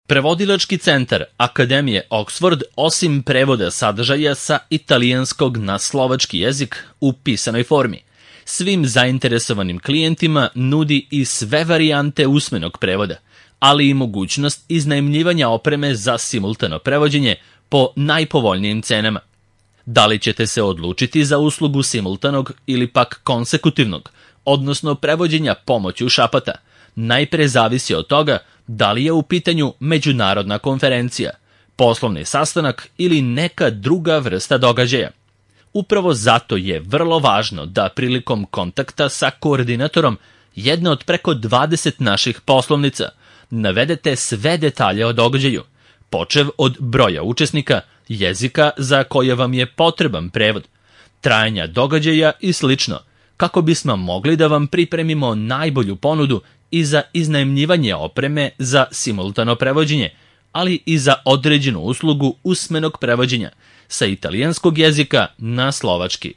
Prevodilački centar Akademije Oxford, osim prevoda sadržaja sa italijanskog na slovački jezik u pisanoj formi, svim zainteresovanim klijentima nudi i sve varijante usmenog prevoda, ali i mogućnost iznajmljivanja opreme za simultano prevođenje po najpovoljnijim cenama. Da li ćete se odlučiti za uslugu simultanog ili pak konsekutivnog, odnosno prevođenja pomoću šapata, najpre zavisi od toga da li je u pitanju međunarodna konferencija, poslovni sastanak ili neka druga vrsta događaja. Upravo zato je vrlo važno da prilikom kontakta sa koordinatorom jedne od preko 20 naših poslovnica navedete sve detalje o događaju, počev od broja učesnika, jezika za koje vam je potreban prevod, trajanja događaja i slično, kako bismo mogli da vam pripremimo najbolju ponudu i za iznajmljivanje opreme za simultano prevođenje, ali i za određenu uslugu usmenog prevođenja sa italijanskog jezika na slovački.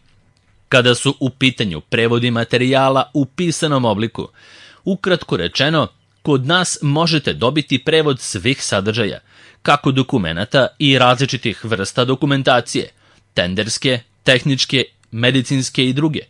Kada su u pitanju prevodi materijala u pisanom obliku, ukratko rečeno, kod nas možete dobiti prevod svih sadržaja, kako dokumenata i različitih vrsta dokumentacije, tenderske, tehničke, medicinske i druge,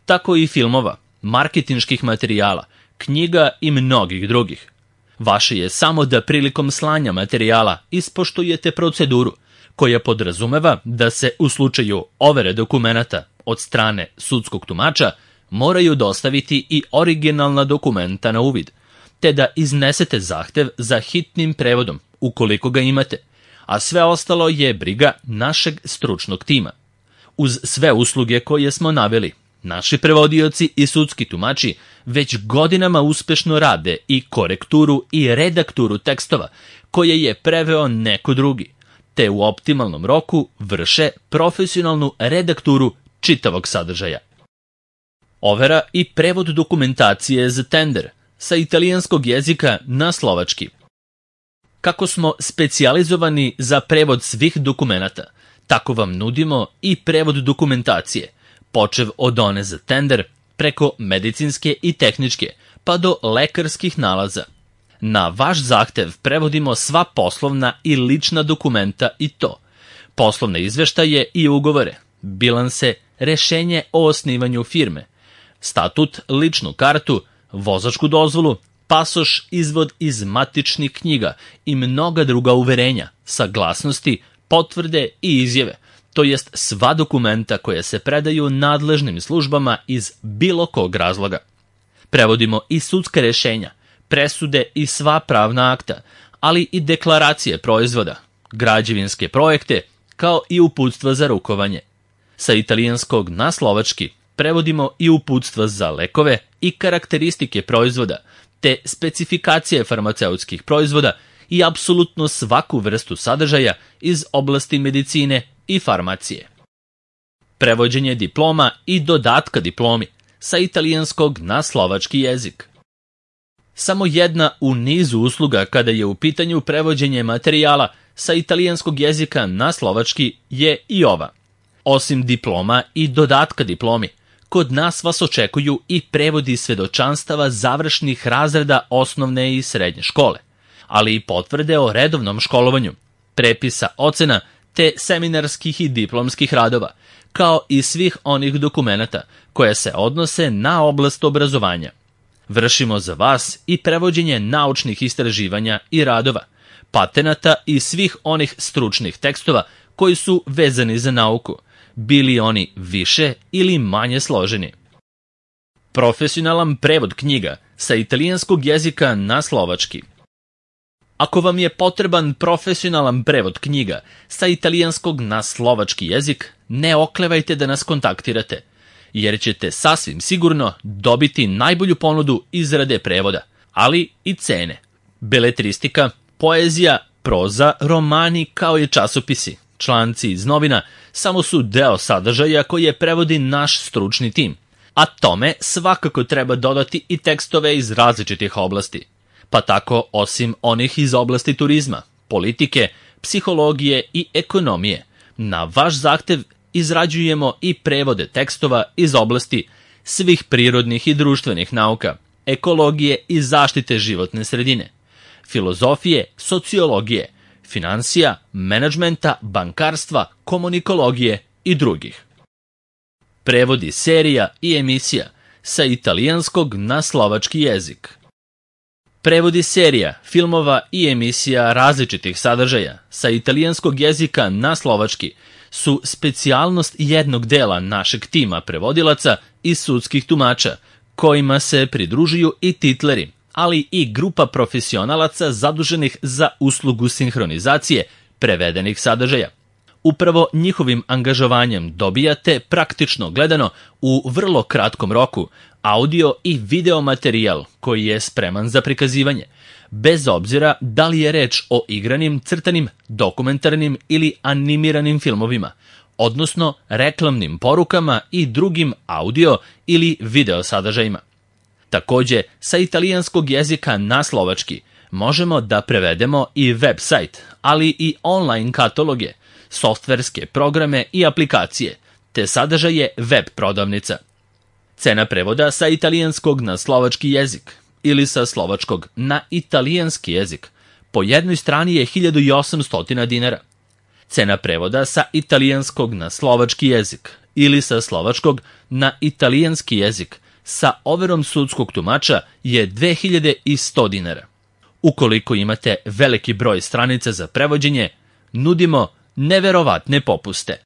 tako i filmova, marketinških materijala, knjiga i mnogih drugih. Vaše je samo da prilikom slanja materijala ispoštujete proceduru, koja podrazumeva da se u slučaju overe dokumenata od strane sudskog tumača moraju dostaviti i originalna dokumenta na uvid, te da iznesete zahtev za hitnim prevodom, ukoliko ga imate, a sve ostalo je briga našeg stručnog tima. Uz sve usluge koje smo naveli, naši prevodioci i sudski tumači već godinama uspešno rade i korekturu i redakturu tekstova koje je preveo neko drugi, te u optimalnom roku vrše profesionalnu redakturu čitavog sadržaja. Overa i prevod dokumentacije za tender sa italijanskog jezika na slovački. Kako smo specijalizovani za prevod svih dokumenata, tako vam nudimo i prevod dokumentacije, počev od one za tender, preko medicinske i tehničke, pa do lekarskih nalaza. Na vaš zahtev prevodimo sva poslovna i lična dokumenta i to: poslovne izveštaje i ugovore, bilanse, rešenje o osnivanju firme, statut, ličnu kartu, vozačku dozvolu, pasoš, izvod iz matičnih knjiga i mnoga druga uverenja, saglasnosti, potvrde i izjave, to jest sva dokumenta koja se predaju nadležnim službama iz bilo kog razloga. Prevodimo i sudska rešenja, presude i sva pravna akta, ali i deklaracije proizvoda, građevinske projekte, kao i uputstva za rukovanje. Sa italijanskog na slovački prevodimo i uputstva za lekove i karakteristike proizvoda, te specifikacije farmaceutskih proizvoda i apsolutno svaku vrstu sadržaja iz oblasti medicine i farmacije. Prevođenje diploma i dodatka diplomi sa italijanskog na slovački jezik. Samo jedna u nizu usluga kada je u pitanju prevođenje materijala sa italijanskog jezika na slovački je i ova. Osim diploma i dodatka diplomi, kod nas vas očekuju i prevodi svedočanstava završnih razreda osnovne i srednje škole, ali i potvrde o redovnom školovanju, prepisa ocena te seminarskih i diplomskih radova, kao i svih onih dokumenata koje se odnose na oblast obrazovanja. Vršimo za vas i prevođenje naučnih istraživanja i radova, patenata i svih onih stručnih tekstova koji su vezani za nauku, bili oni više ili manje složeni. Profesionalan prevod knjiga sa italijanskog jezika na slovački. Ako vam je potreban profesionalan prevod knjiga sa italijanskog na slovački jezik, ne oklevajte da nas kontaktirate, jer ćete sasvim sigurno dobiti najbolju ponudu izrade prevoda, ali i cene. Beletristika, poezija, proza, romani kao i časopisi, članci iz novina samo su deo sadržaja koje prevodi naš stručni tim, a tome svakako treba dodati i tekstove iz različitih oblasti. Pa tako, osim onih iz oblasti turizma, politike, psihologije i ekonomije, na vaš zahtev izrađujemo i prevode tekstova iz oblasti svih prirodnih i društvenih nauka, ekologije i zaštite životne sredine, filozofije, sociologije, finansija, menadžmenta, bankarstva, komunikologije i drugih. Prevodi serija i emisija sa italijanskog na slovački jezik. Prevodi serija, filmova i emisija različitih sadržaja sa italijanskog jezika na slovački su specijalnost jednog dela našeg tima prevodilaca i sudskih tumača, kojima se pridružuju i titleri, ali i grupa profesionalaca zaduženih za uslugu sinhronizacije prevedenih sadržaja. Upravo njihovim angažovanjem dobijate, praktično gledano, u vrlo kratkom roku, audio i video materijal koji je spreman za prikazivanje, bez obzira da li je reč o igranim, crtanim, dokumentarnim ili animiranim filmovima, odnosno reklamnim porukama i drugim audio ili video sadržajima. Takođe, sa italijanskog jezika na slovački možemo da prevedemo i web sajt, ali i online kataloge, softverske programe i aplikacije, te sadržaje web prodavnica. Cena prevoda sa italijanskog na slovački jezik ili sa slovačkog na italijanski jezik po jednoj strani je 1800 dinara. Cena prevoda sa italijanskog na slovački jezik ili sa slovačkog na italijanski jezik sa overom sudskog tumača je 2100 dinara. Ukoliko imate veliki broj stranica za prevođenje, nudimo neverovatne popuste.